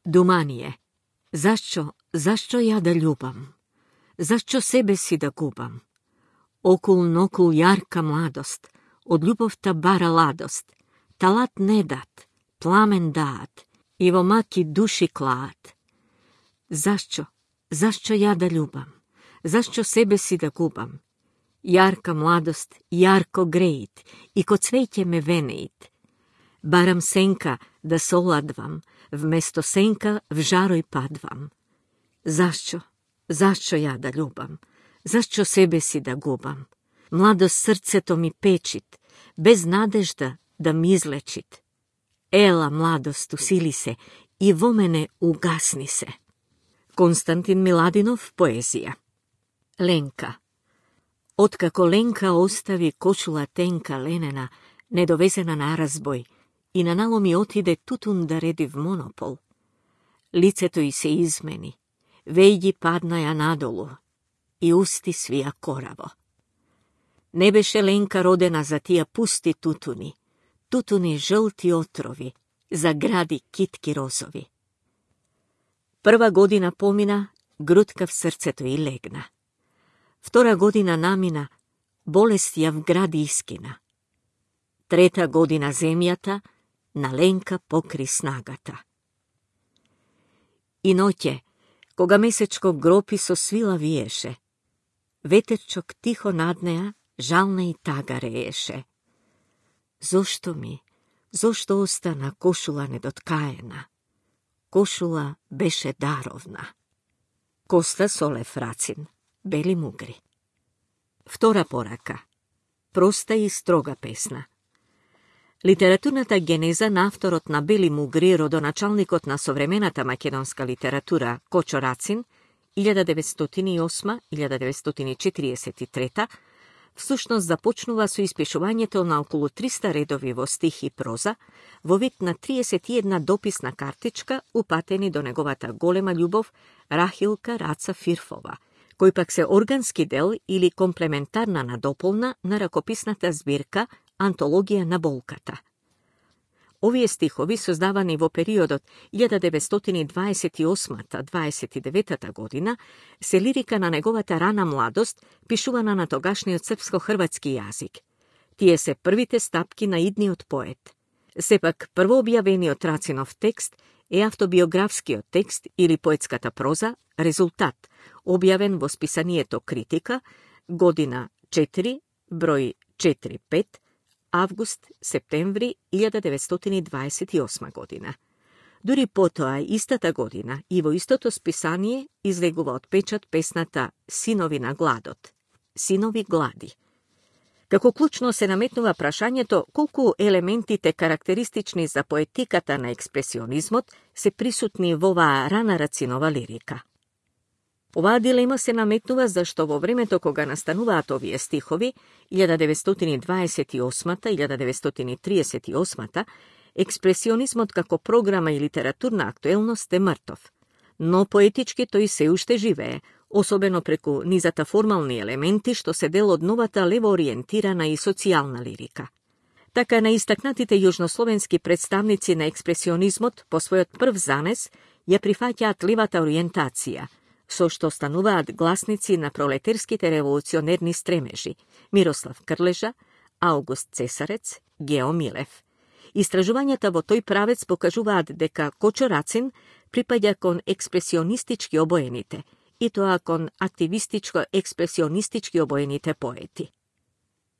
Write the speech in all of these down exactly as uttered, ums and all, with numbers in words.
Думание. Зашчо, зашчо ја да љубам? Зашчо себе си да губам? Окул нокул јарка младост, од љубовта бара ладост, талат не дат, пламен даат, и во маки души клаат. Зашчо, зашчо ја да љубам? Зашчо себе си да губам? Јарка младост, јарко греит, и ко цвеќе ме венеит. Барам сенка да се оладвам, вместо сенка в жарој падвам. Зашчо, зашчо ја да љубам? Зашчо себе си да губам? Младост срцето ми печит, без надежда да ми излечит. Ела, младост, усили се и во мене угасни се. Константин Миладинов, поезија. Ленка. Откако Ленка остави кошула тенка ленена, недовезена на разбој, и на наломи отиде тутун да реди в монопол, лицето й се измени, вејги паднаја надолу и усти свија кораво. Не беше Ленка родена за тија пусти тутуни, тутуни жълти отрови, за гради китки розови. Прва година помина, грудка в срцето й легна. Втора година намина, болест ја вгради искина. Трета година земјата на Ленка покри снагата. И ноќе, кога месечко гропи со свила виеше, ветерчок тихо над неа жална и тага рееше. Зошто ми, зошто остана кошула недоткаена? Кошула беше даровна. Коста Солев Рацин, Бели мугри. Втора порака. Проста и строга песна. Литературната генеза на авторот на Бели мугри, родоначалникот на современата македонска литература Кочо Рацин, илјада деветстотини и осма до илјада деветстотини четиридесет и трета, всушност започнува со испишувањето на околу триста редови во стих и проза, во вид на триесет и една дописна картичка, упатени до неговата голема љубов Рахилка Раца Фирфова, кој пак се органски дел или комплементарна надополна на ракописната збирка Антологија на болката. Овие стихови, создавани во периодот илјада деветстотини дваесет и осма до дваесет и девета година, се лирика на неговата рана младост, пишувана на тогашниот српско-хрватски јазик. Тие се првите стапки на идниот поет. Сепак, првообјавениот Рацинов текст е автобиографскиот текст или поетската проза, Резултат, објавен во списанието Критика, година четири, број четири пет, август-септември илјада деветстотини дваесет и осма година. Дури потоа, истата година, и во истото списание излегува од печат песната Синови на гладот, Синови глади. Како клучно се наметнува прашањето колку елементите карактеристични за поетиката на експресионизмот се присутни во оваа рана Рацинова лирика. Оваа дилема се наметнува зашто во времето кога настануваат овие стихови, илјада деветстотини дваесет и осма до илјада деветстотини триесет и осма, експресионизмот како програма и литературна актуелност е мртов. Но поетички тој се уште живее, особено преку низата формални елементи што се дел од новата левоориентирана и социјална лирика. Така на истакнатите јужнословенски представници на експресионизмот по својот прв занес ја прифаќаат левата ориентација, со што стануваат гласници на пролетерските револуционерни стремежи Мирослав Крлежа, Аугуст Цесарец, Гео Милев. Истражувањата во тој правец покажуваат дека Кочо Рацин припаѓа кон експресионистички обоените, и тоа кон активистичко-експресионистички обоените поети.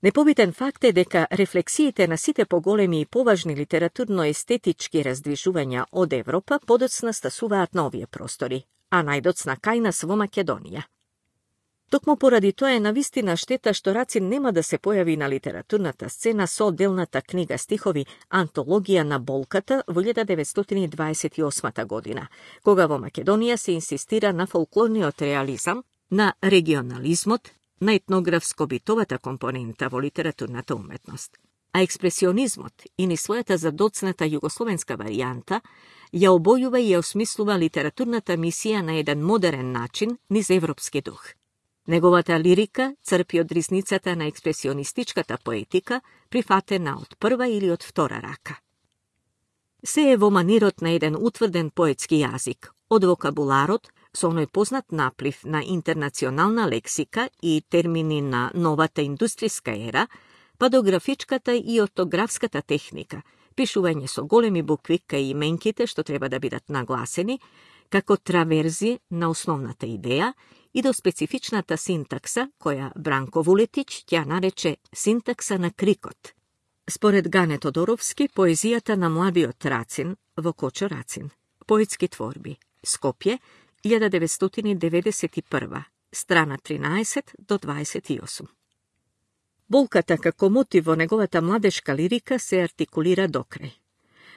Непобитен факт е дека рефлексиите на сите поголеми и поважни литературно-естетички раздвижувања од Европа подоцна стасуваат на овие простори, а најдоцна кај нас во Македонија. Токму поради тоа е навистина штета што Рацин нема да се појави на литературната сцена со одделната книга стихови Антологија на болката во илјада деветстотини дваесет и осма година, кога во Македонија се инсистира на фолклорниот реализам, на регионализмот, на етнографско-битовата компонента во литературната уметност. А експресионизмот и ни својата задоцната југословенска варијанта ја обојува и ја осмислува литературната мисија на еден модерен начин низ европски дух. Неговата лирика црпи од ризницата на експресионистичката поетика, прифатена од прва или од втора рака. Се е во манирот на еден утврден поетски јазик, од вокабуларот со оној познат наплив на интернационална лексика и термини на новата индустријска ера, па до графичката и ортографската техника, пишување со големи букви кај именките што треба да бидат нагласени, како траверзи на основната идеја и до специфичната синтакса, која Бранко Вулетич ќе нарече синтакса на крикот. Според Гане Тодоровски, поезијата на младиот Рацин во Кочо Рацин. Поетски творби. Скопје, илјада деветстотини деветдесет и прва, страна тринаесет до дваесет и осум. Болката како мотив во неговата младешка лирика се артикулира докрај.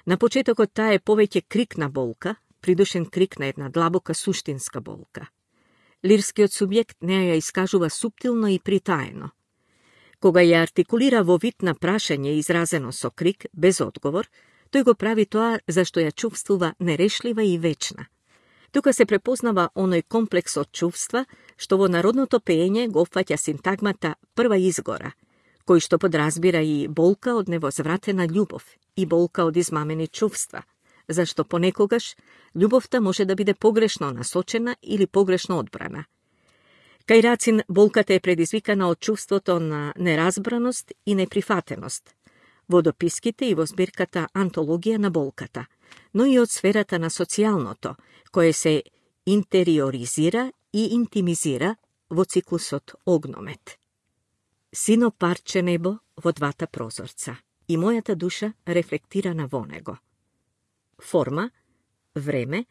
На почетокот таа е повеќе крик на болка, придушен крик на една длабока суштинска болка. Лирскиот субјект не ја искажува суптилно и притаено. Кога ја артикулира во вид на прашање изразено со крик, без одговор, тој го прави тоа зашто ја чувствува нерешлива и вечна. Тука се препознава оној комплекс од чувства, што во народното пеење го опфаќа синтагмата прва изгора, кој што подразбира и болка од невозвратена љубов и болка од измамени чувства, зашто понекогаш љубовта може да биде погрешно насочена или погрешно одбрана. Кај Рацин болката е предизвикана од чувството на неразбраност и неприфатеност, во дописките и во збирката Антологија на болката, но и од сферата на социјалното, кое се интериоризира и интимизира во циклусот Огномет. Сино парче небо во двата прозорца и мојата душа рефлектирана во него. Форма, време,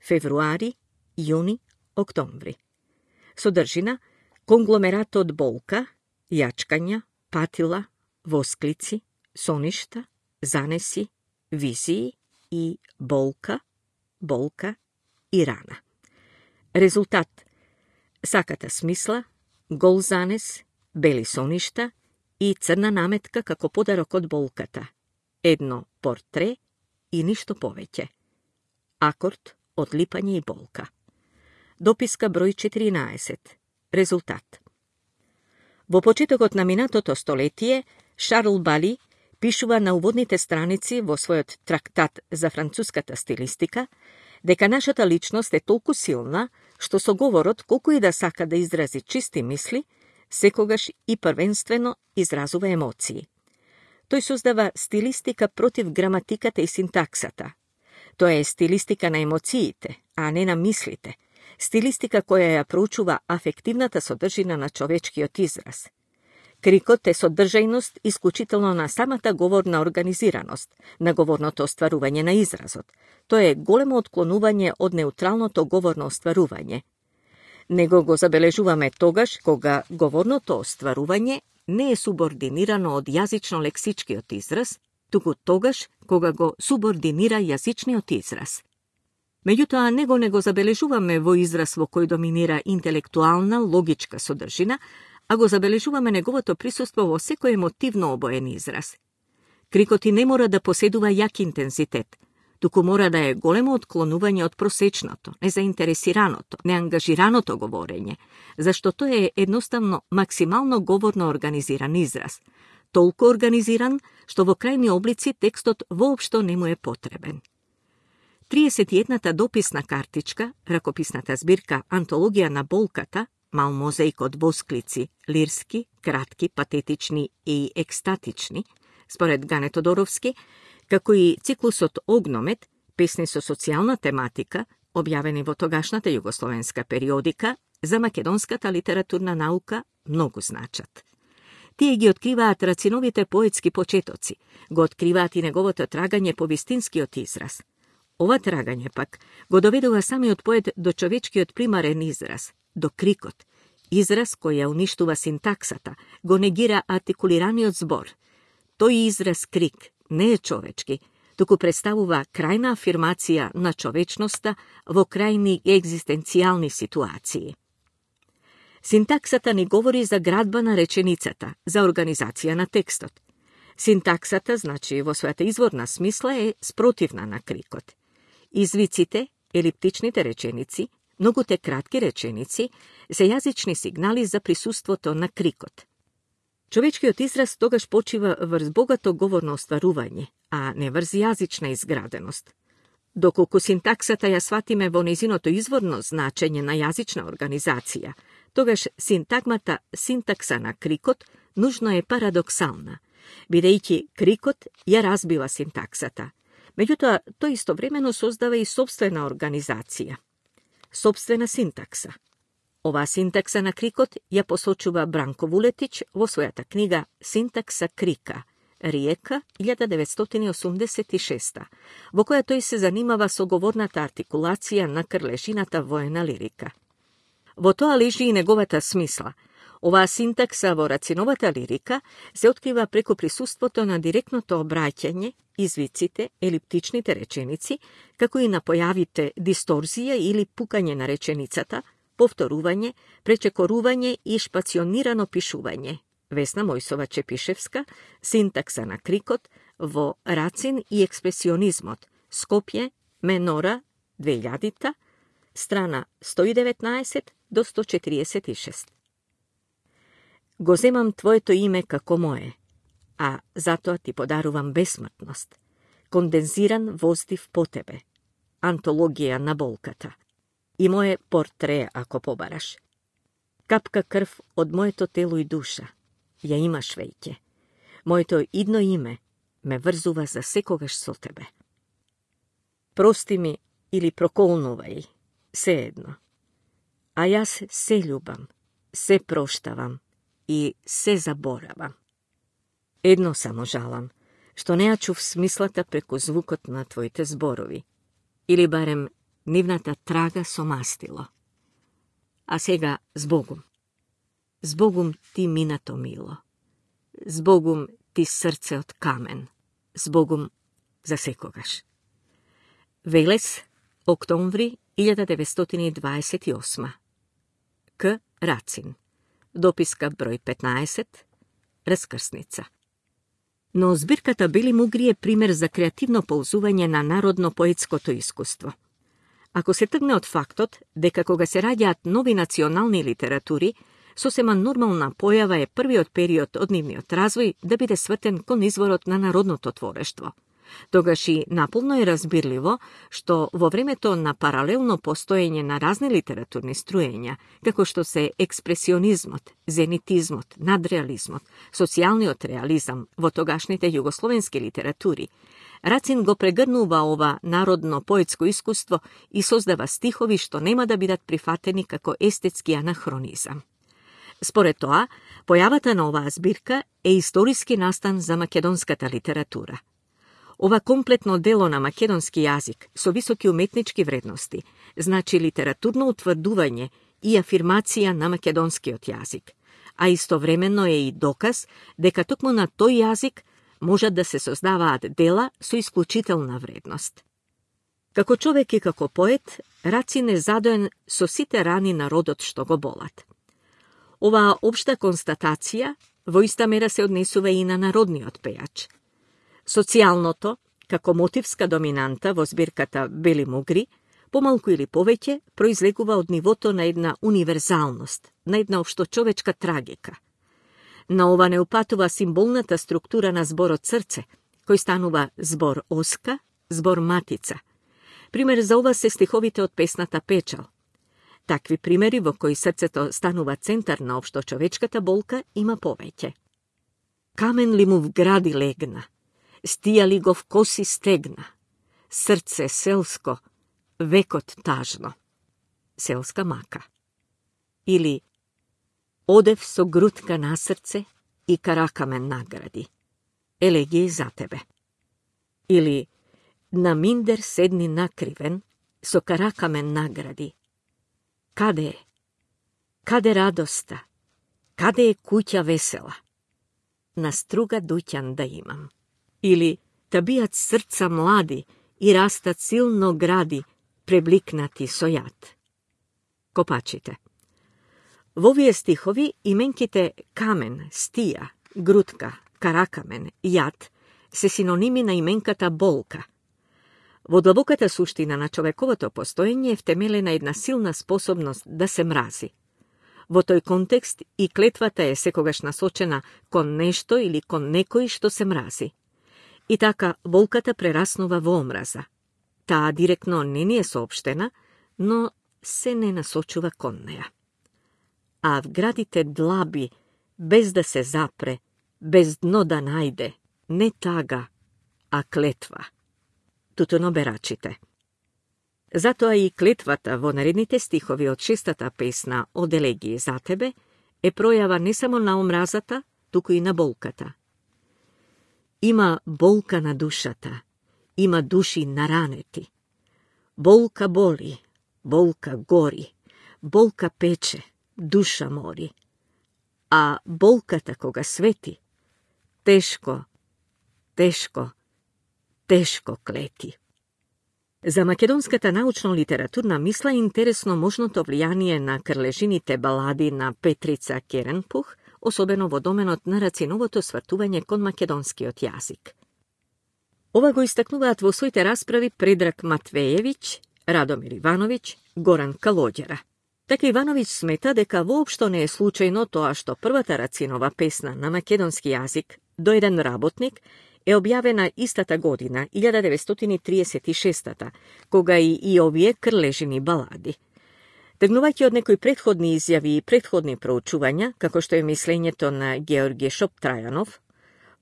февруари, јуни, октомври. Содржина, конгломерат од болка, јачкања, патила, восклици, соништа, занеси, визии и болка, болка и рана. Резултат: саката смисла, гол занес, бели соништа и црна наметка како подарок од болката. Едно портре и ништо повеќе. Акорд од липање и болка. Дописка број четиринаесет. Резултат. Во почетокот на минатото столетие, Шарл Бали пишува на уводните страници во својот трактат за француската стилистика дека нашата личност е толку силна што со говорот, колку и да сака да изрази чисти мисли, секогаш и првенствено изразува емоции. Тој создава стилистика против граматиката и синтаксата. Тоа е стилистика на емоциите, а не на мислите. Стилистика која ја проучува афективната содржина на човечкиот израз. Крикот е содржајност исклучително на самата говорна организираност, на говорното остварување на изразот. Тоа е големо отклонување од неутралното говорно остварување. Него го забележуваме тогаш кога говорното остварување не е субординирано од јазично-лексичкиот израз, туку тогаш кога го субординира јазичниот израз. Меѓутоа, него не го забележуваме во израз во кој доминира интелектуална, логичка содржина, а го забележуваме неговото присуство во секој емотивно обоен израз. Крикот и не мора да поседува јак интензитет, туку мора да е големо отклонување од просечното, незаинтересираното, неангажираното говорење, зашто тоа е едноставно максимално говорно организиран израз, толку организиран што во крајни облици текстот воопшто не му е потребен. триесет и едната дописна картичка, ракописната збирка Антологија на болката, мал мозаик од восклици, лирски, кратки, патетични и екстатични, според Гане Тодоровски, како и циклусот Огномет, песни со социјална тематика, објавени во тогашната југословенска периодика, за македонската литературна наука многу значат. Тие ги откриваат Рациновите поетски почетоци, го откриваат и неговото трагање по вистинскиот израз. Ова трагање пак го доведува самиот поет до човечкиот примарен израз, до крикот, израз кој ја уништува синтаксата, го негира артикулираниот збор. Тој израз крик не е човечки, туку представува крајна афирмација на човечноста во крајни екзистенцијални ситуации. Синтаксата ни говори за градба на реченицата, за организација на текстот. Синтаксата, значи во својата изворна смисла, е спротивна на крикот. Извиците, елиптичните реченици, многуте кратки реченици се јазични сигнали за присуството на крикот. Човечкиот израз тогаш почива врз богато говорно остварување, а не врз јазична изграденост. Доколку синтаксата ја сватиме во нејзиното изворно значење на јазична организација, тогаш синтагмата синтакса на крикот нужно е парадоксална, бидејќи крикот ја разбива синтаксата. Меѓутоа, тој истовремено создава и собствена организација, собствена синтакса. Оваа синтакса на крикот ја посочува Бранко Вулетич во својата книга Синтакса крика, Риека, илјада деветстотини осумдесет и шеста, во која тој се занимава со говорната артикулација на крлежината воена лирика. Во тоа лежи и неговата смисла. Оваа синтакса во Рациновата лирика се открива преку присуството на директното обраќање, извиците, елиптичните реченици, како и на појавите дисторзија или пукање на реченицата, повторување, пречекорување и шпационирано пишување. Весна Мојсова-Чепишевска, Синтакса на крикот, во Рацин и експресионизмот, Скопје, Менора, две илјадита, страна сто и деветнаесет до сто четириесет и шест. Го земам твоето име како мое, а затоа ти подарувам бесмртност, кондензиран воздив по тебе, антологија на болката, и мое портре, ако побараш. Капка крв од моето тело и душа, ја имаш веќе. Моето идно име ме врзува за секогаш со тебе. Прости ми или проколнувај, се едно. А јас се љубам, се проштавам и се заборавам. Едно само жалам, што не ја чув смислата преку звукот на твоите зборови, или барем нивната трага со мастило. А сега збогум. Збогум ти минато мило. Збогум ти срце од камен. Збогум за секогаш. Велес, октомври илјада деветстотини дваесет и осма. К. Рацин. Дописка број петнаесет. Раскрсница. Но збирката Бели мугри е пример за креативно ползување на народно-поетското искуство. Ако се тргне од фактот дека кога се раѓаат нови национални литератури, сосема нормална појава е првиот период од нивниот развој да биде свртен кон изворот на народното творештво. Тогаш и наполно е разбирливо што во времето на паралелно постоење на разни литературни струења, како што се експресионизмот, зенитизмот, надреализмот, социјалниот реализам во тогашните југословенски литератури, Рацин го прегрнува ова народно поетско искуство и создава стихови што нема да бидат прифатени како естетски анахронизам. Според тоа, појавата на оваа збирка е историски настан за македонската литература. Ова комплетно дело на македонски јазик со високи уметнички вредности значи литературно утврдување и афирмација на македонскиот јазик, а истовременно е и доказ дека токму на тој јазик можат да се создаваат дела со исклучителна вредност. Како човек и како поет, Рацин е задоен со сите рани на родот што го болат. Оваа општа констатација во иста мера се однесува и на народниот пејач. Социјалното, како мотивска доминанта во збирката Бели мугри, помалку или повеќе, произлегува од нивото на една универзалност, на една општочовечка трагика. На ова не упатува символната структура на зборот срце, кој станува збор оска, збор матица. Пример за ова се стиховите од песната Печал. Такви примери во кои срцето станува центар на општочовечката болка има повеќе. Камен ли му вгради легна, стија ли го в коси стегна, срце селско, векот тажно. Селска мака. Или одев со грудка на срце и каракамен награди. Елегија за тебе. Или на миндер седни накривен, со каракамен награди. Каде е? Каде радоста? Каде е куќа весела? На струга дуќан да имам. Или та бијат срца млади и растат силно гради, пребликнати со јад. Копачите. Во овие стихови именките камен, стија, грудка, каракамен, јад се синоними на именката болка. Во длабоката суштина на човековото постоење е втемелена една силна способност да се мрази. Во тој контекст и клетвата е секогаш насочена кон нешто или кон некој што се мрази. И така болката прераснува во омраза. Таа директно не ни е соопштена, но се не насочува кон неја. А вградите длаби, без да се запре, без дно да најде, не тага, а клетва. Тутуно берачите. Затоа и клетвата во наредните стихови од шестата песна од Елегии за тебе е пројава не само на омразата, туку и на болката. Има болка на душата, има души наранети. Болка боли, болка гори, болка пече, душа мори. А болката кога свети, тешко, тешко, тешко клети. За македонската научно-литературна мисла интересно можното влијание на крлежините балади на Петрица Керенпух, особено во доменот на Рациновото свртување кон македонскиот јазик. Ова го истакнуваат во своите расправи Предраг Матвеевиќ, Радомир Ивановиќ, Горан Калоѓера. Така Ивановиќ смета дека воопшто не е случајно тоа што првата Рацинова песна на македонски јазик до еден работник е објавена истата година, илјада деветстотини триесет и шеста, кога и, и овие крлежини балади. Тргнувајќи од некои предходни изјави и предходни проучувања, како што е мислењето на Георги Шоптрајанов,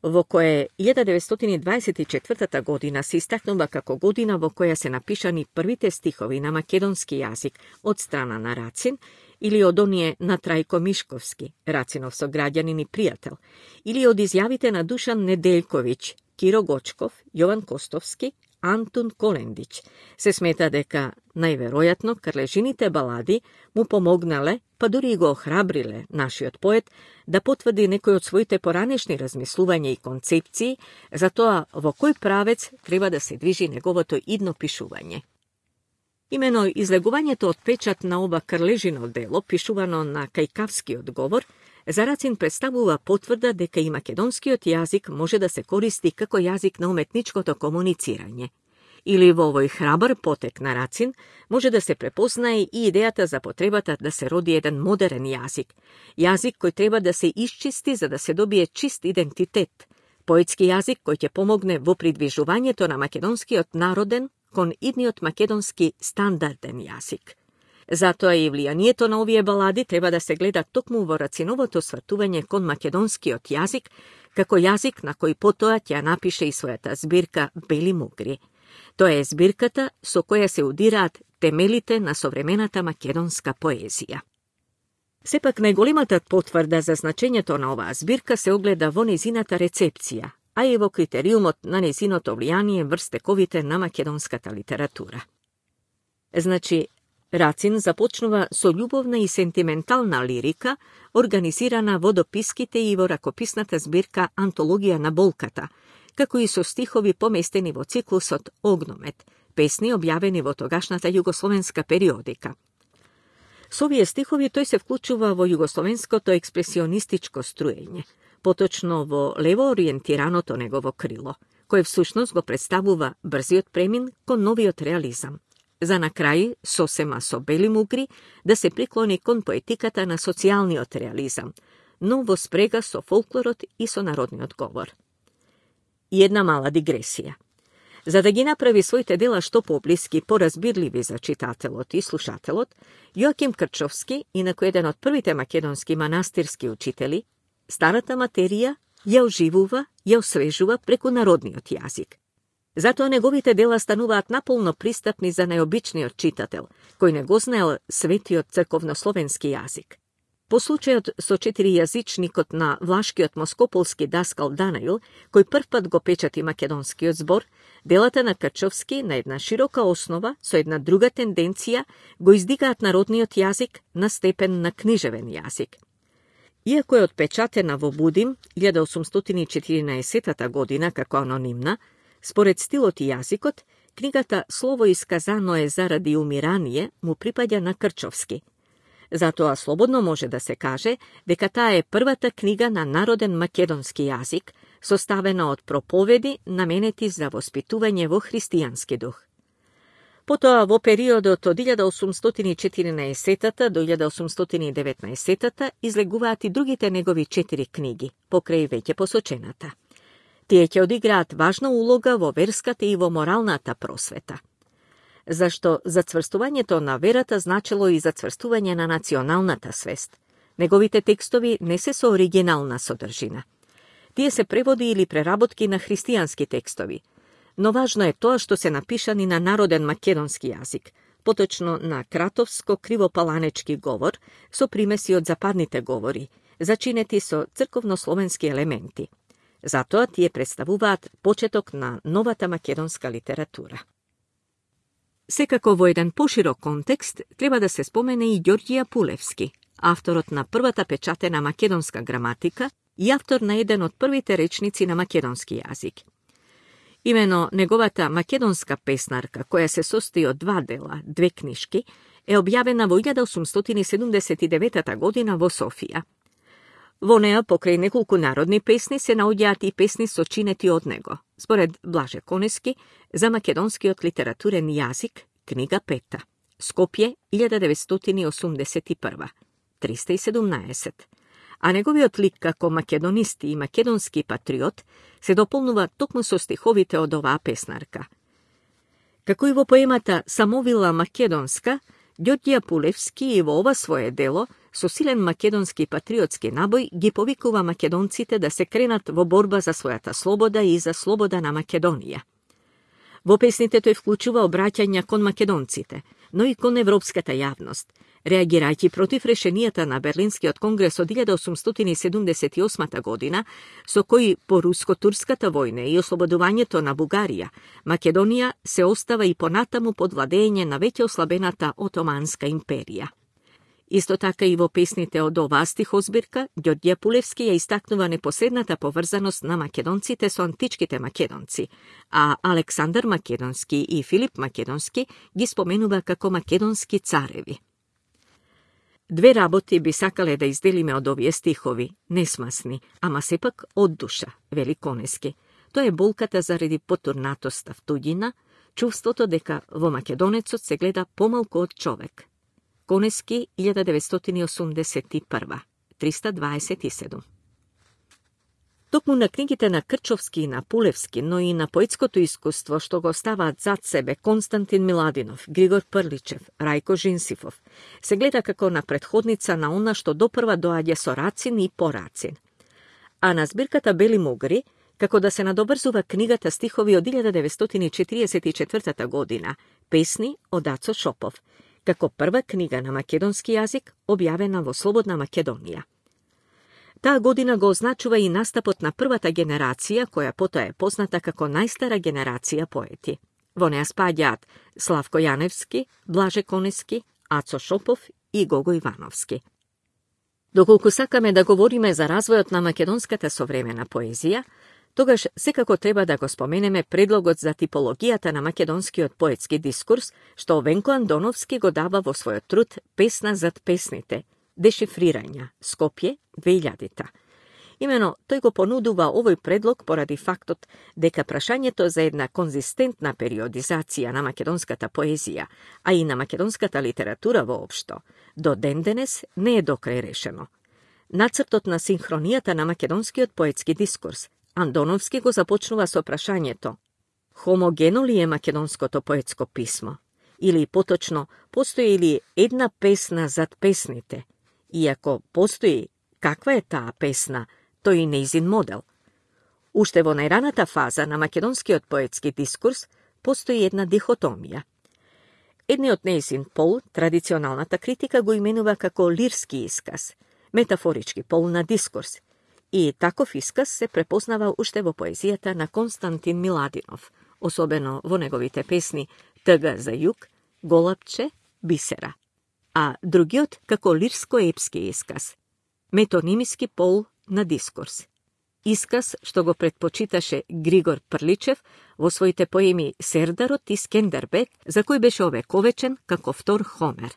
во кое илјада деветстотини дваесет и четвртата година се истакнува како година во која се напишани првите стихови на македонски јазик од страна на Рацин, или од оние на Трајко Мишковски, Рацинов сограѓанин и пријател, или од изјавите на Душан Неделковиќ, Киро Гочков, Јован Костовски, Антун Колендиќ. Се смета дека, најверојатно, крлежините балади му помогнале, па дури и го охрабриле нашиот поет да потврди некој од своите поранешни размислувања и концепции за тоа во кој правец треба да се движи неговото идно пишување. Имено излегувањето од печат на ова крлежино дело, пишувано на кајкавскиот говор, за Рацин представува потврда дека и македонскиот јазик може да се користи како јазик на уметничкото комуницирање. Или во овој храбар потек на Рацин може да се препознае и идејата за потребата да се роди еден модерен јазик, јазик кој треба да се исчисти за да се добие чист идентитет, поетски јазик кој ќе помогне во придвижувањето на македонскиот народен кон идниот македонски стандарден јазик. Затоа и влијанието на овие балади треба да се гледа токму во Рациновото свртување кон македонскиот јазик, како јазик на кој потоа ќе напише и својата збирка Бели мугри. Тоа е збирката со која се удираат темелите на современата македонска поезија. Сепак најголемата потврда за значењето на оваа збирка се огледа во незината рецепција, а и во критериумот на незиното влијание врз тековите на македонската литература. Значи, Рацин започнува со љубовна и сентиментална лирика, организирана во дописките и во ракописната збирка Антологија на болката, како и со стихови поместени во циклусот Огномет, песни објавени во тогашната југословенска периодика. Со овие стихови тој се вклучува во југословенското експресионистичко струење, поточно во лево ориентираното негово крило, кое всушност го представува брзиот премин кон новиот реализам. За на крај, сосема со Бели мугри, да се приклони кон поетиката на социјалниот реализам, но во спрега со фолклорот и со народниот говор. И една мала дигресија. За да ги направи своите дела што поблиски, поразбирливи за читателот и слушателот, Јоаким Крчовски, инаку еден од првите македонски манастирски учители, старата материја ја оживува, ја освежува преку народниот јазик. Затоа неговите дела стануваат наполно пристапни за најобичниот читател, кој не го знаел светиот црковнословенски јазик. По случајот со четиријазичникот на влашкиот москополски даскал Данаил, кој првпат го печати македонскиот збор, делата на Крчовски на една широка основа, со една друга тенденција, го издигаат народниот јазик на степен на книжевен јазик. Иако е отпечатена во Будим илјада осумстотини и четиринаесетта година како анонимна, според стилот и јазикот, книгата Слово исказано е заради умирание му припаѓа на Крчовски. Затоа слободно може да се каже дека таа е првата книга на народен македонски јазик, составена од проповеди наменети за воспитување во христијански дух. Потоа во периодот од илјада осумстотини и четиринаесетта до илјада осумстотини и деветнаесетта излегуваат и другите негови четири книги, покрај веќе посочената. Тие ќе одиграат важна улога во верската и во моралната просвета. Зашто зацврстувањето на верата значело и зацврстување на националната свест. Неговите текстови не се со оригинална содржина. Тие се преводи или преработки на христијански текстови, но важно е тоа што се напишани на народен македонски јазик, поточно на кратовско-кривопаланечки говор со примеси од западните говори, зачинети со црковнословенски елементи. Затоа тие представуваат почеток на новата македонска литература. Секако во еден поширок контекст треба да се спомене и Ѓорѓија Пулевски, авторот на првата печатена македонска граматика и автор на еден од првите речници на македонски јазик. Имено неговата македонска песнарка, која се состои од два дела, две книшки, е објавена во илјада осумстотини седумдесет и девета година во Софија. Во неа, покрај неколку народни песни, се наоѓаат и песни сочинети од него, според Блаже Конески, за македонскиот литературен јазик, книга пета, Скопје, илјада деветстотини осумдесет и прва, триста и седумнаесет. А неговиот лик како македонист и македонски патриот се дополнува токму со стиховите од оваа песнарка. Како и во поемата Самовила македонска, Ѓорѓија Пулевски и во ова свое дело, со силен македонски патриотски набој, ги повикува македонците да се кренат во борба за својата слобода и за слобода на Македонија. Во песните тој вклучува обраќања кон македонците, но и кон европската јавност, реагирајќи против решенијата на Берлинскиот конгрес од илјада осумстотини седумдесет и осма година, со кои по руско-турската војна и ослободувањето на Бугарија, Македонија се остава и понатаму под владење на веќе ослабената Отоманска империја. Исто така и во песните од оваа стихозбирка, Ѓорѓија Пулевски ја истакнува непосредната поврзаност на македонците со античките македонци, а Александар Македонски и Филип Македонски ги споменува како македонски цареви. Две работи би сакале да изделиме од овие стихови, несмасни, ама сепак од душа, вели Конески. Тоа е болката заради потурнатоста втуѓина, чувството дека во македонецот се гледа помалку од човек. Конески, илјада деветстотини осумдесет и прва, триста дваесет и седум. Токму на книгите на Крчовски и на Пулевски, но и на поетското искуство што го ставаат зад себе Константин Миладинов, Григор Прличев, Рајко Жинсифов, се гледа како на претходница на она што допрва доаѓа со Рацин и по Рацин. А на збирката Бели мугри, како да се надобрзува книгата стихови од илјада деветстотини четириесет и четврта година, Песни од Ацо Шопов, како прва книга на македонски јазик објавена во Слободна Македонија. Таа година го означува и настапот на првата генерација, која потоа е позната како најстара генерација поети. Во неа спаѓаат Славко Јаневски, Блаже Конески, Ацо Шопов и Гого Ивановски. Доколку сакаме да говориме за развојот на македонската современа поезија, тогаш секако треба да го споменеме предлогот за типологијата на македонскиот поетски дискурс, што Венко Андоновски го дава во својот труд Песна зад песните, Дешифрирања, Скопје, две илјадите. Имено, тој го понудува овој предлог поради фактот дека прашањето за една конзистентна периодизација на македонската поезија, а и на македонската литература воопшто, до ден денес не е докрај решено. Нацртот на синхронијата на македонскиот поетски дискурс, Андоновски го започнува со прашањето: хомогено ли е македонското поетско писмо? Или поточно, постои ли една песна зад песните? И ако постои, каква е таа песна, тој и нејзин модел? Уште во најраната фаза на македонскиот поетски дискурс постои една дихотомија. Едниот нејзин пол, традиционалната критика го именува како лирски исказ, метафорички пол на дискурс, и таков исказ се препознава уште во поезијата на Константин Миладинов, особено во неговите песни Тъга за југ, Голапче, Бисера, а другиот како лирско-епски исказ, метонимиски пол на дискурс. Исказ што го предпочиташе Григор Прличев во своите поеми Сердарот и Скендербек, за кој беше овековечен како втор Хомер.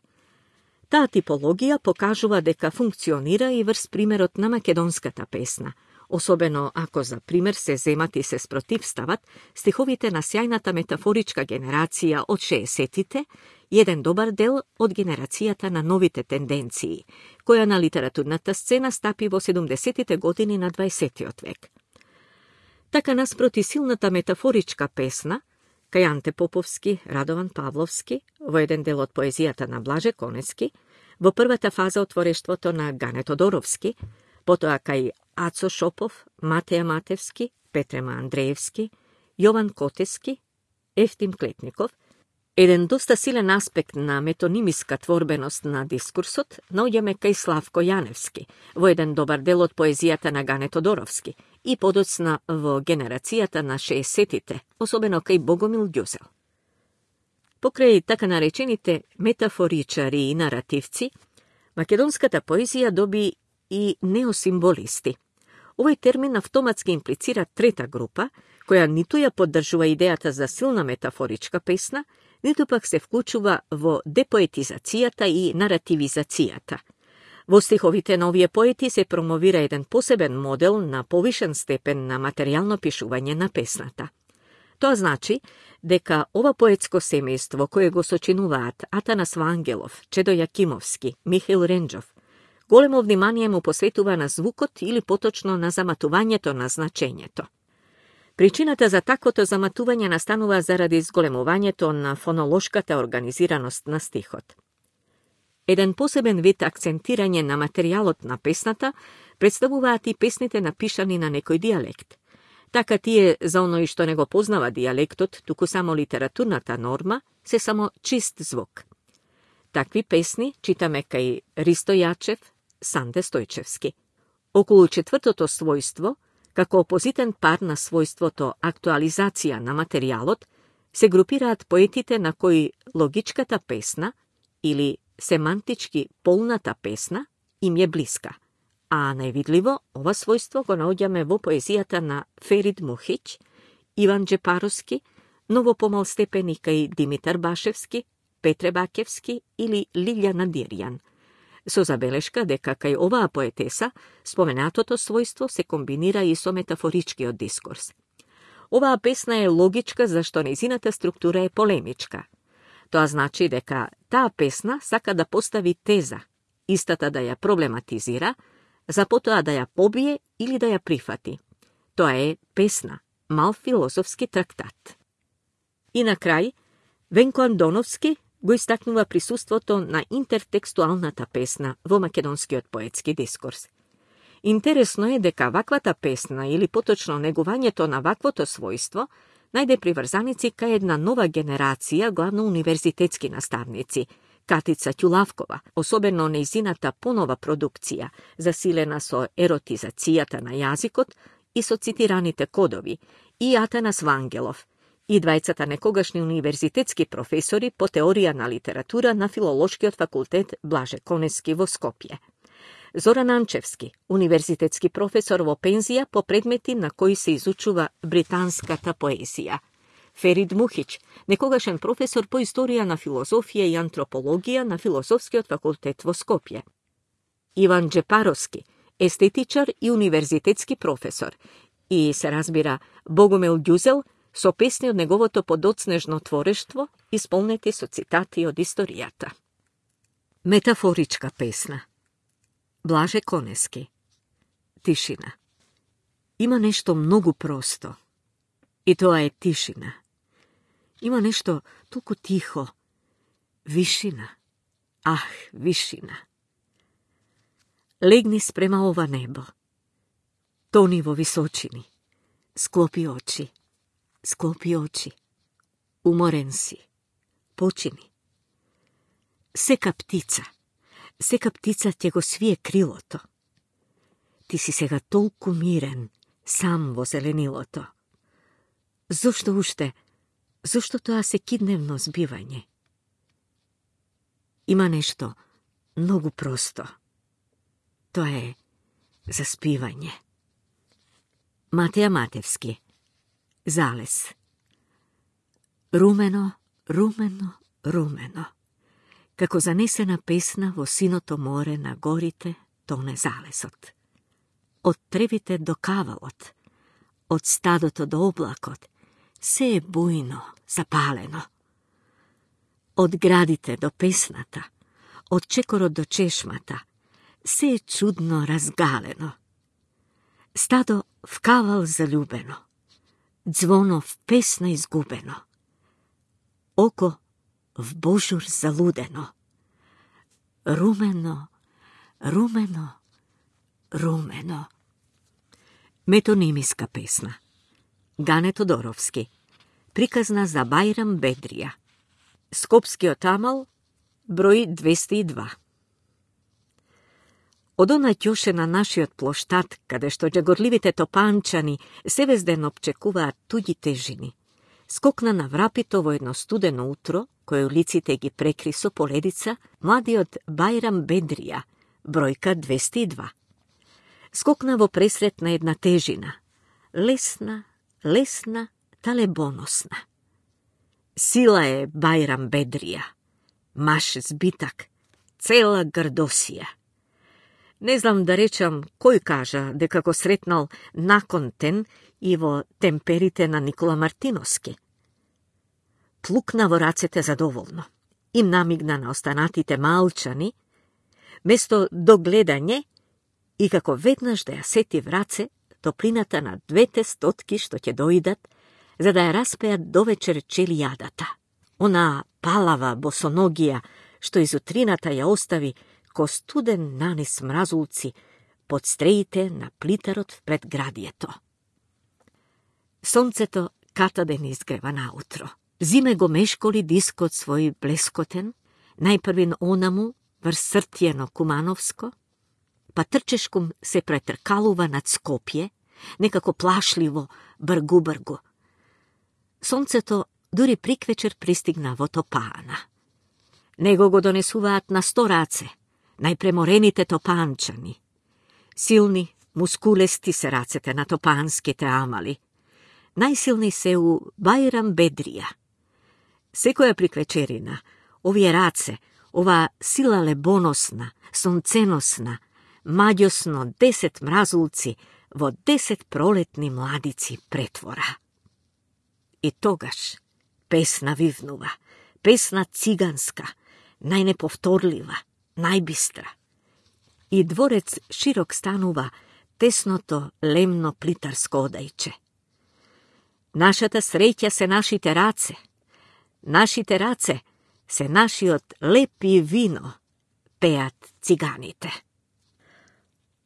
Таа типологија покажува дека функционира и врз примерот на македонската песна, особено ако за пример се земат и се спротивстават стиховите на сјајната метафоричка генерација од шеесеттите и еден добар дел од генерацијата на новите тенденции, која на литературната сцена стапи во седумдесеттите години на дваесеттиот век. Така наспроти силната метафоричка песна, кај Анте Поповски, Радован Павловски, во еден дел од поезијата на Блаже Конески, во првата фаза од творештвото на Гане Тодоровски, потоа кај Ацо Шопов, Матеја Матевски, Петрема Андреевски, Јован Котески, Ефтим Клетников, еден доста силен аспект на метонимиска творбеност на дискурсот наоѓаме кај Славко Јаневски, во еден добар дел од поезијата на Гане Тодоровски и подоцна во генерацијата на шеесеттите, особено кај Богомил Ѓузел. Покрај така наречените метафоричари и наративци, македонската поезија доби и неосимволисти. Овој термин автоматски имплицира трета група, која ниту ја поддржува идејата за силна метафоричка песна, ниту пак се вклучува во депоетизацијата и наративизацијата. Во стиховите на овие поети се промовира еден посебен модел на повишен степен на материјално пишување на песната. Тоа значи дека ова поетско семејство кое го сочинуваат Атанас Вангелов, Чедо Јакимовски, Михаил Ренџов, големо внимание му посветува на звукот или поточно на заматувањето на значењето. Причината за таквото заматување настанува заради зголемувањето на фонолошката организираност на стихот. Еден посебен вид акцентирање на материјалот на песната представуваат и песните напишани на некој дијалект. Така тие за оној што не го познава дијалектот, туку само литературната норма, се само чист звук. Такви песни читаме кај Ристо Јачев, Санде Стојчевски. Околу четвртото својство, како опозитен пар на својството актуализација на материјалот, се групираат поетите на кои логичката песна или семантички полната песна им е блиска, а највидливо ова својство го наоѓаме во поезијата на Ферид Мухиќ, Иван Джепаровски, новопомалстепени кај Димитар Башевски, Петре Бакевски или Лилјана Дирјан, со забелешка дека кај оваа поетеса споменатото својство се комбинира и со метафоричкиот дискурс. Оваа песна е логичка зашто нејзината структура е полемичка. Тоа значи дека таа песна сака да постави теза, истата да ја проблематизира, за потоа да ја побие или да ја прифати. Тоа е песна, мал филозофски трактат. И на крај, Венко Андоновски го истакнува присуството на интертекстуалната песна во македонскиот поетски дискурс. Интересно е дека ваквата песна или поточно негувањето на ваквото својство најде приврзаници кај една нова генерација, главно универзитетски наставници, Катица Ќулавкова, особено нејзината понова продукција, засилена со еротизацијата на јазикот и со цитираните кодови, и Атанас Вангелов, и двајцата некогашни универзитетски професори по теорија на литература на Филолошкиот факултет Блаже Конески во Скопје. Зоран Анчевски, универзитетски професор во пензија по предмети на кои се изучува британската поезија. Ферид Мухиќ, некогашен професор по историја на филозофија и антропологија на Филозофскиот факултет во Скопје. Иван Джепаровски, естетичар и универзитетски професор. И се разбира Богомил Ѓузел, со песни од неговото подоцнежно творештво, исполнети со цитати од историјата. Метафоричка песна. Блаже Конески. Тишина. Има нешто многу просто. И тоа е тишина. Има нешто толку тихо. Вишина. Ах, вишина. Легни спрема ова небо. Тони во височини. Склопи очи. Склопи очи. Уморен си. Почини. Сека птица. Сека птица ќе го свие крилото. Ти си сега толку мирен, сам во зеленилото. Зошто уште? Зошто тоа секидневно збивање? Има нешто многу просто. Тоа е заспивање. Матеја Матевски. Залез. Румено, румено, румено. Како занесена песна во синото море на горите тоне залезот. од тревите до кавалот, од стадото до облакот, се е бујно, запалено. Од градите до песната, од чекорот до чешмата, се е чудно разгалено. Стадо в кавал залюбено, звоно в песна изгубено, око в божур залудено, румено, румено, румено. Метонимиска песна. Гане Тодоровски. Приказна за Бајрам Бедрија. Скопскиот амал, број двеста и два. Од она ќоше на нашиот плоштад, каде што џагорливите топанчани севезден обчекуваат туѓи тежини, скокна на врапито во едно студено утро, кој улиците ги прекри со поледица, младиот Бајрам Бедрија, бројка двеста и два. Скокна во пресрет на една тежина, лесна, лесна, талебоносна. Сила е Бајрам Бедрија, маш збитак, цела грдосија. Не знам да речам кој кажа дека го сретнал наконтен и во темперите на Никола Мартиновски. Плукна во рацете задоволно. Им намигна на останатите малчани, место до гледање, и како веднаш да ја сети в раце топлината на двете стотки што ќе доидат, за да ја распеат довечер челијадата. Она палава босоногија што изутрината ја остави ко студен нанис мразулци под стреите на плитарот пред градието. Сонцето катаден изгрева наутро. Зиме го мешколи дискот свој блескотен, најпрвин онаму врз Сртјено Кумановско, па трчешком се претркалува над Скопје, некако плашливо, бргу-бргу. Сонцето дури приквечер пристигна во Топаана. Него го донесуваат на сто раце, најпреморените топанчани. Силни, мускулести се рацете на топанските амали. Најсилни се у Бајрам Бедрија. Секоја приквечерина, овие раце, ова сила лебоносна, сонценосна, маѓосно десет мразулци во десет пролетни младици претвора. И тогаш песна вивнува, песна циганска, најнеповторлива, најбистра. И дворец широк станува тесното лемно плитарско одајче. Нашата среќа се нашите раце, нашите раце се нашиот леп и вино, пеат циганите.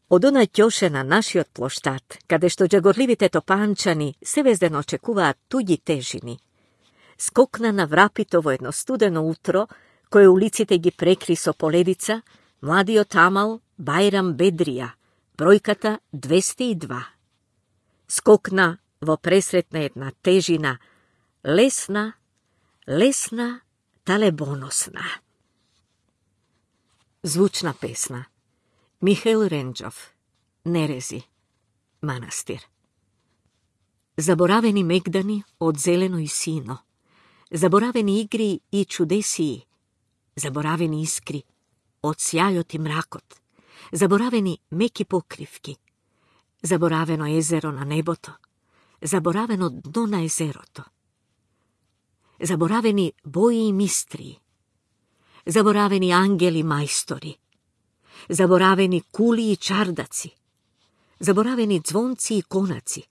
Од она ќоше на нашиот плоштад, каде што џагорливите топанчани севезден очекуваат туѓи тежини, скокна на врапито во едно студено утро, кое улиците ги прекри со поледица, младиот амал Бајрам Бедрија, бројката двеста и два. Скокна во пресрет на една тежина, лесна, лесна, талебоносна. Звучна песна. Михаил Ренџов. Нерези. Манастир. Заборавени мегдани од зелено и сино, заборавени игри и чудесии, заборавени искри од сјајот и мракот, заборавени меки покривки, заборавено езеро на небото, заборавено дно на езерото, заборавени бои и мистрии, заборавени ангели мајстори, заборавени кули и чардаци, заборавени звонци и конаци,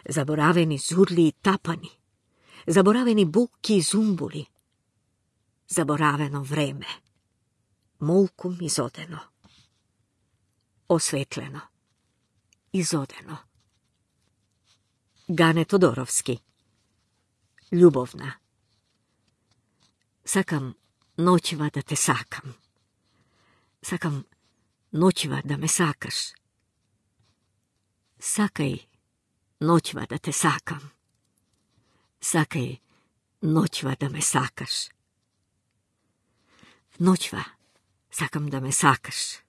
заборавени зурли и тапани, заборавени букки и зумбули, заборавено време, молкум изодено, осветлено, изодено. Гане Тодоровски. Љубовна. Сакам ноќва да те сакам. Сакам ноќва да ме сакаш. Сакај ноќва да те сакам. Сакај ноќва да ме сакаш. Ноќва сакам да ме сакаш.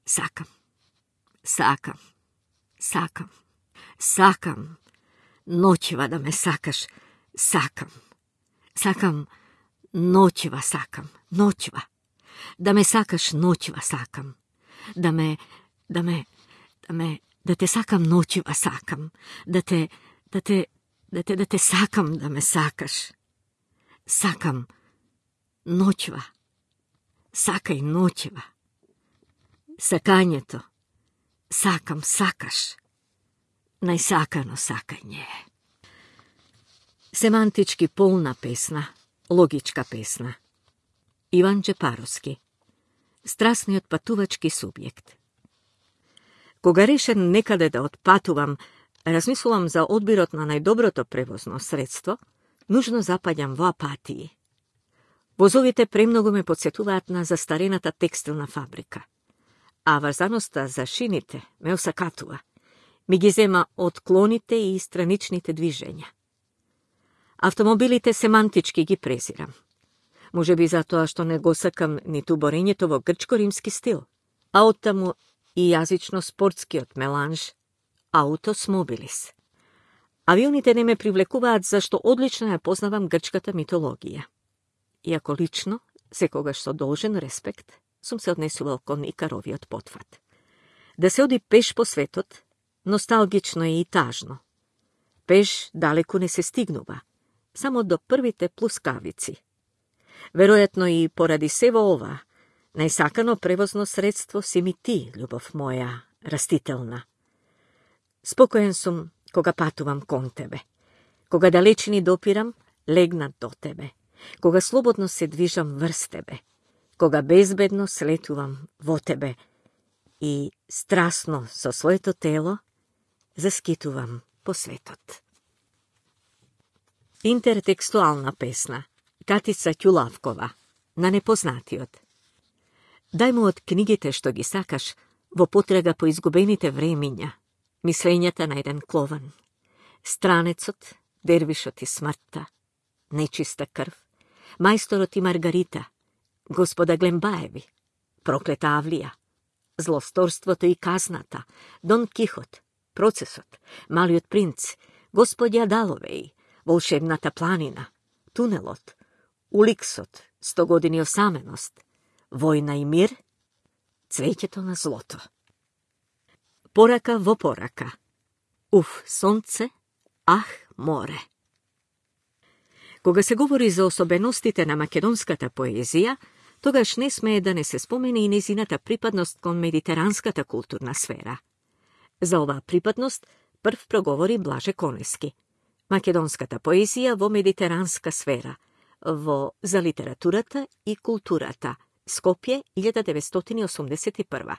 Сакам, сакам, сакам, сакам ноќва да ме сакаш. Сакам, сакам ноќва сакам, ноќва. Да ме сакаш ноќва сакам. Да ме, да ме, да ме, да те сакам ноќива сакам, да те, да те, да те, да те сакам да ме сакаш. Сакам ноќва, сакај ноќва. Сакањето, сакам, сакаш, најсакано сакање. Семантички полна песна, логичка песна. Иван Джепаровски. Страсниот патувачки субјект. Кога решен некаде да отпатувам, размислувам за одбирот на најдоброто превозно средство, нужно запаѓам во апатии. Возовите премногу ме подсетуваат на застарената текстилна фабрика, а врзаноста за шините ме осакатува, ми ги зема од клоните и страничните движења. Автомобилите семантички ги презирам. Може би затоа што не го сакам ниту борењето во грчко-римски стил, а оттаму и јазично-спортскиот меланж аутос мобилис. Авионите не ме привлекуваат зашто одлично ја познавам грчката митологија. Иако лично, секогаш со должен респект, сум се однесувал кон Икаровиот потфат. Да се оди пеш по светот, носталгично е и тажно. Пеш далеку не се стигнува, само до првите плускавици. Веројатно и поради сево ова, најсакано превозно средство си ми ти, љубов моја, растителна. Спокоен сум кога патувам кон тебе, кога далечини допирам, легнат до тебе, кога слободно се движам врз тебе, кога безбедно слетувам во тебе и страстно со своето тело заскитувам по светот. Интертекстуална песна. Катица Ќулавкова. На непознатиот. Дај му од книгите што ги сакаш во потрага по изгубените времиња, мислењата на еден клован. Странецот, дервишот и смртта, нечиста крв, мајсторот и Маргарита, господа Глембаеви, проклета Авлија, злосторството и казната, Дон Кихот, процесот, Малиот принц, господја Даловеј, волшебната планина, тунелот, Уликсот, сто години осаменост, војна и мир, цвеќето на злото. Порака во порака. Уф, сонце, ах, море. Кога се говори за особеностите на македонската поезија, тогаш не смее да не се спомени и незината припадност кон медитеранската културна сфера. За оваа припадност прв проговори Блаже Конески. Македонската поезија во медитеранска сфера, во За литературата и културата, Скопје, илјада деветстотини осумдесет и прва.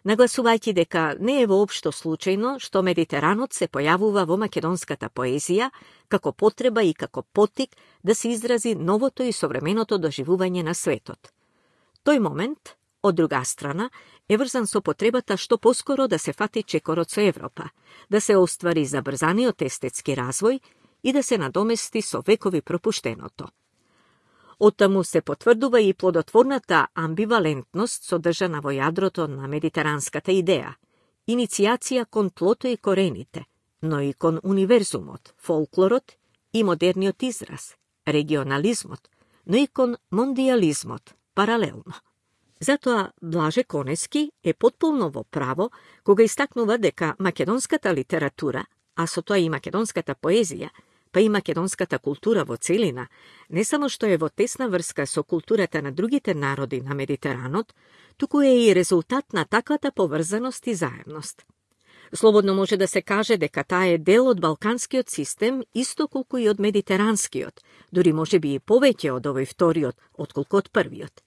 Нагласувајќи дека не е воопшто случајно што Медитеранот се појавува во македонската поезија како потреба и како поттик да се изрази новото и современото доживување на светот. Тој момент, од друга страна, е врзан со потребата што поскоро да се фати чекорот со Европа, да се оствари забрзаниот естетски развој и да се надомести со векови пропуштеното. Оттаму се потврдува и плодотворната амбивалентност содржана во јадрото на медитеранската идеја, иницијација кон тлото и корените, но и кон универзумот, фолклорот и модерниот израз, регионализмот, но и кон мондиализмот, паралелно. Затоа Блаже Конески е потполно во право кога истакнува дека македонската литература, а со тоа и македонската поезија, па и македонската култура во целина, не само што е во тесна врска со културата на другите народи на Медитеранот, туку е и резултат на таквата поврзаност и заемност. Слободно може да се каже дека таа е дел од балканскиот систем, исто колку и од медитеранскиот, дури може би и повеќе од овој вториот, отколку од првиот.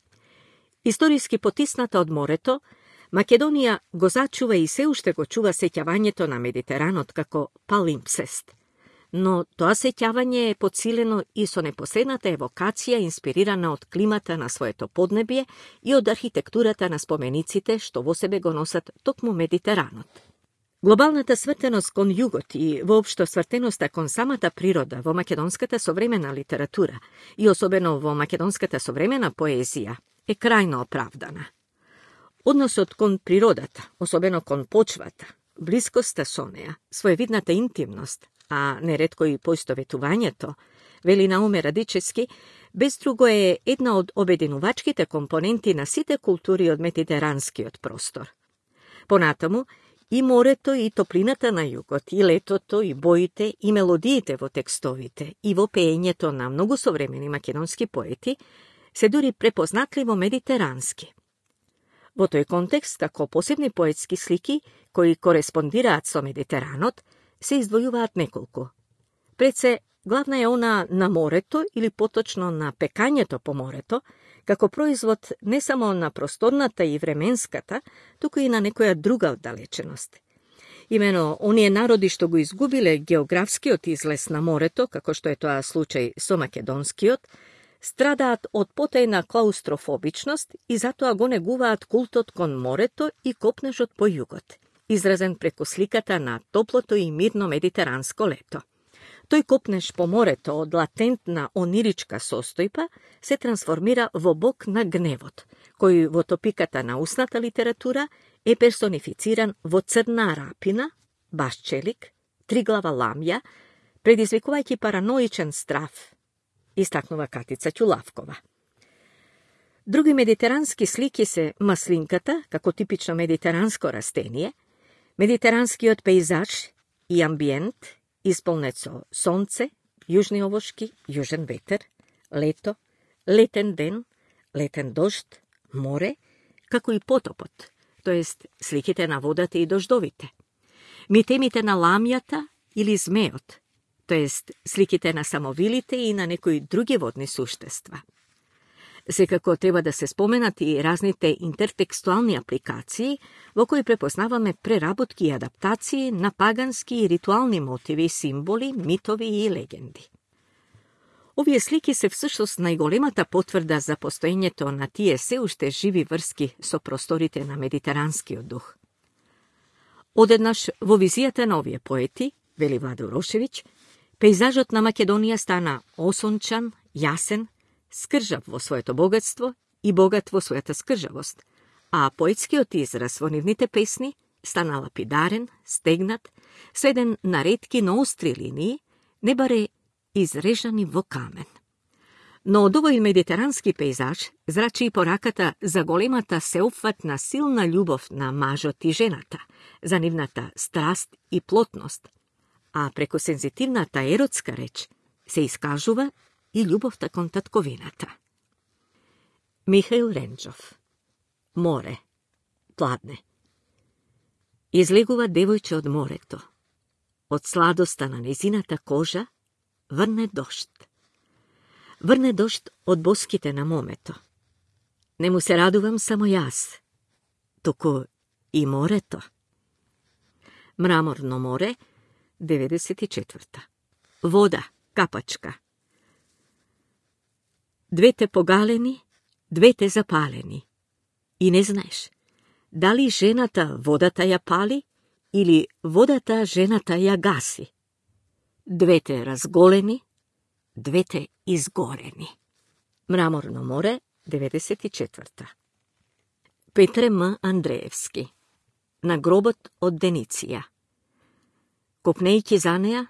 Историски потисната од морето, Македонија го зачува и се уште го чува сеќавањето на Медитеранот како палимпсест. Но тоа сеќавање е подсилено и со непосредната евокација инспирирана од климата на своето поднебие и од архитектурата на спомениците што во себе го носат токму Медитеранот. Глобалната свртеност кон југот и воопшто свртеноста кон самата природа во македонската современа литература и особено во македонската современа поезија е крајно оправдана. Односот кон природата, особено кон почвата, блискоста со неа, своевидната интимност, а неретко и поистоветувањето, вели Науме Радичевски, без друго е една од обединувачките компоненти на сите култури од медитеранскиот простор. Понатаму, И морето, и топлината на југот, и летото, и боите, и мелодиите во текстовите, и во пеењето на многу современи македонски поети, се дури препознатливо медитерански. Во тој контекст, како посебни поетски слики, кои кореспондираат со Медитеранот, се издвојуваат неколку. Пред се, главна е она на морето, или поточно на пекањето по морето, како производ не само на просторната и временската, туку и на некоја друга оддалеченост. Имено, оние народи што го изгубиле географскиот излез на морето, како што е тоа случај со македонскиот, страдаат од потајна клаустрофобичност и затоа го негуваат култот кон морето и копнежот по југот, изразен преку сликата на топлото и мирно медитеранско лето. Тој копнеж по морето од латентна ониричка состојба се трансформира во бог на гневот, кој во топиката на устната литература е персонифициран во црна рапина, башчелик, триглава ламја, предизвикувајќи параноичен страв, истакнува Катица Ќулавкова. Други медитерански слики се маслинката, како типично медитеранско растение, медитеранскиот пејзаж и амбиент, исполнет со сонце, јужни овошки, јужен ветер, лето, летен ден, летен дожд, море, како и потопот, тоест сликите на водата и дождовите. Митемите на ламјата или змеот, тоест сликите на самовилите и на некои други водни суштества. Секако треба да се споменат и разните интертекстуални апликации, во кои препознаваме преработки и адаптации на пагански и ритуални мотиви, символи, митови и легенди. Овие слики се всушност најголемата потврда за постоењето на тие се уште живи врски со просторите на медитеранскиот дух. Одеднаш во визијата на овие поети, вели Владо Урошевиќ, пејзажот на Македонија стана осончан, јасен, скржав во своето богатство и богат во својата скржавост, а поетскиот израз во нивните песни стана лапидарен, стегнат, сведен на ретки, но остри линии, не баре изрежани во камен. Но од овој медитерански пејзаж зрачи и пораката за големата сеопфатна силна љубов на мажот и жената, за нивната страст и плотност, а преку сензитивната еротска реч се искажува и љубовта кон татковината. Михаил Ренџов. Море. Пладне. Излегува девојче од морето. Од сладоста на незината кожа врне дожд. Врне дожд од боските на момето. Не му се радувам само јас, туку и морето. Мраморно море, деветдесет и четврта. Вода, капачка. Двете погалени, двете запалени. И не знаеш, дали жената водата ја пали или водата жената ја гаси. Двете разголени, двете изгорени. Мраморно море, деветдесет и четврта. Петре М. Андреевски. На гробот од Дениција. Копнејќи за неја,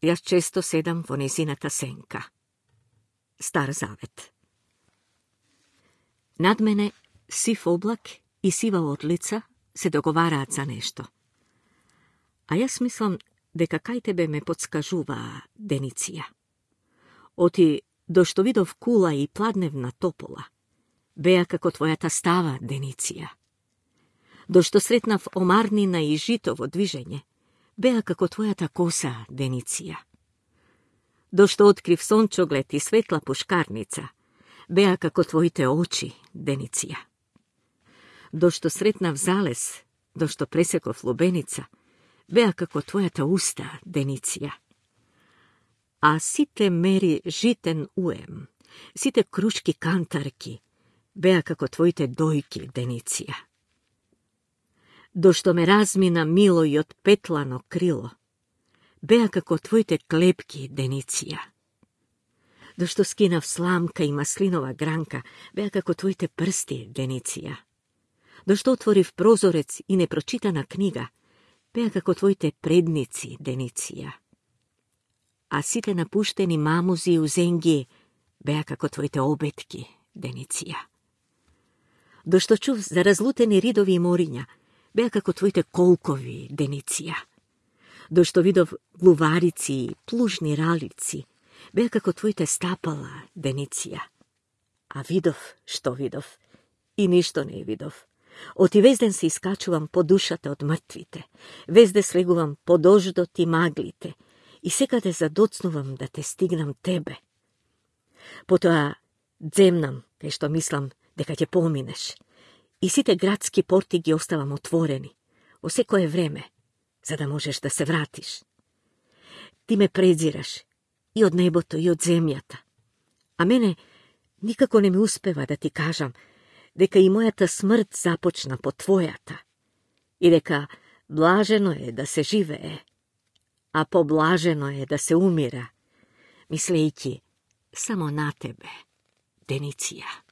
јас често седам во незината сенка. Стар Завет. Над мене сив облак и сива одлица се договараат за нешто. А јас мислам дека кај тебе ме подскажува Дениција. Оти, до што видов кула и пладневна топола, беа како твојата става, Дениција. До што сретнав омарнина и жито во движење, беа како твојата коса, Дениција. До што открив сончоглед и светла пушкарница, беа како твоите очи, Дениција. До што сретнав залез, до што пресеков лубеница, беа како твојата уста, Дениција. А сите мери житен уем, сите крушки кантарки, беа како твоите дојки, Дениција. До што ме размина мило и од петлано крило, беа како твоите клепки, Дениција. До што скинав сламка и маслинова гранка, беа како твоите прсти, Дениција. До што отворив прозорец и непрочитана книга, беа како твоите предници, Дениција. А сите напуштени мамузи и узенги беа како твоите обетки, Дениција. До што чув за разлутени ридови и мориња, беа како твоите колкови, Дениция. Дошто видов глуварици и плужни ралици, беа како твоите стапала, Дениция. А видов што видов, и ништо не видов. Оти везден се искачувам по душата од мртвите, везде слегувам по дождот и маглите, и секаде задоцнувам да те стигнам тебе. Потоа земнам, кај што мислам дека ќе поминеш, и сите градски порти ги оставам отворени, во секое време, за да можеш да се вратиш. Ти ме презираш и од небото, и од земјата, а мене никако не ми успева да ти кажам дека и мојата смрт започна по твојата и дека блажено е да се живее, а поблажено е да се умира, мислејќи само на тебе, Дениция.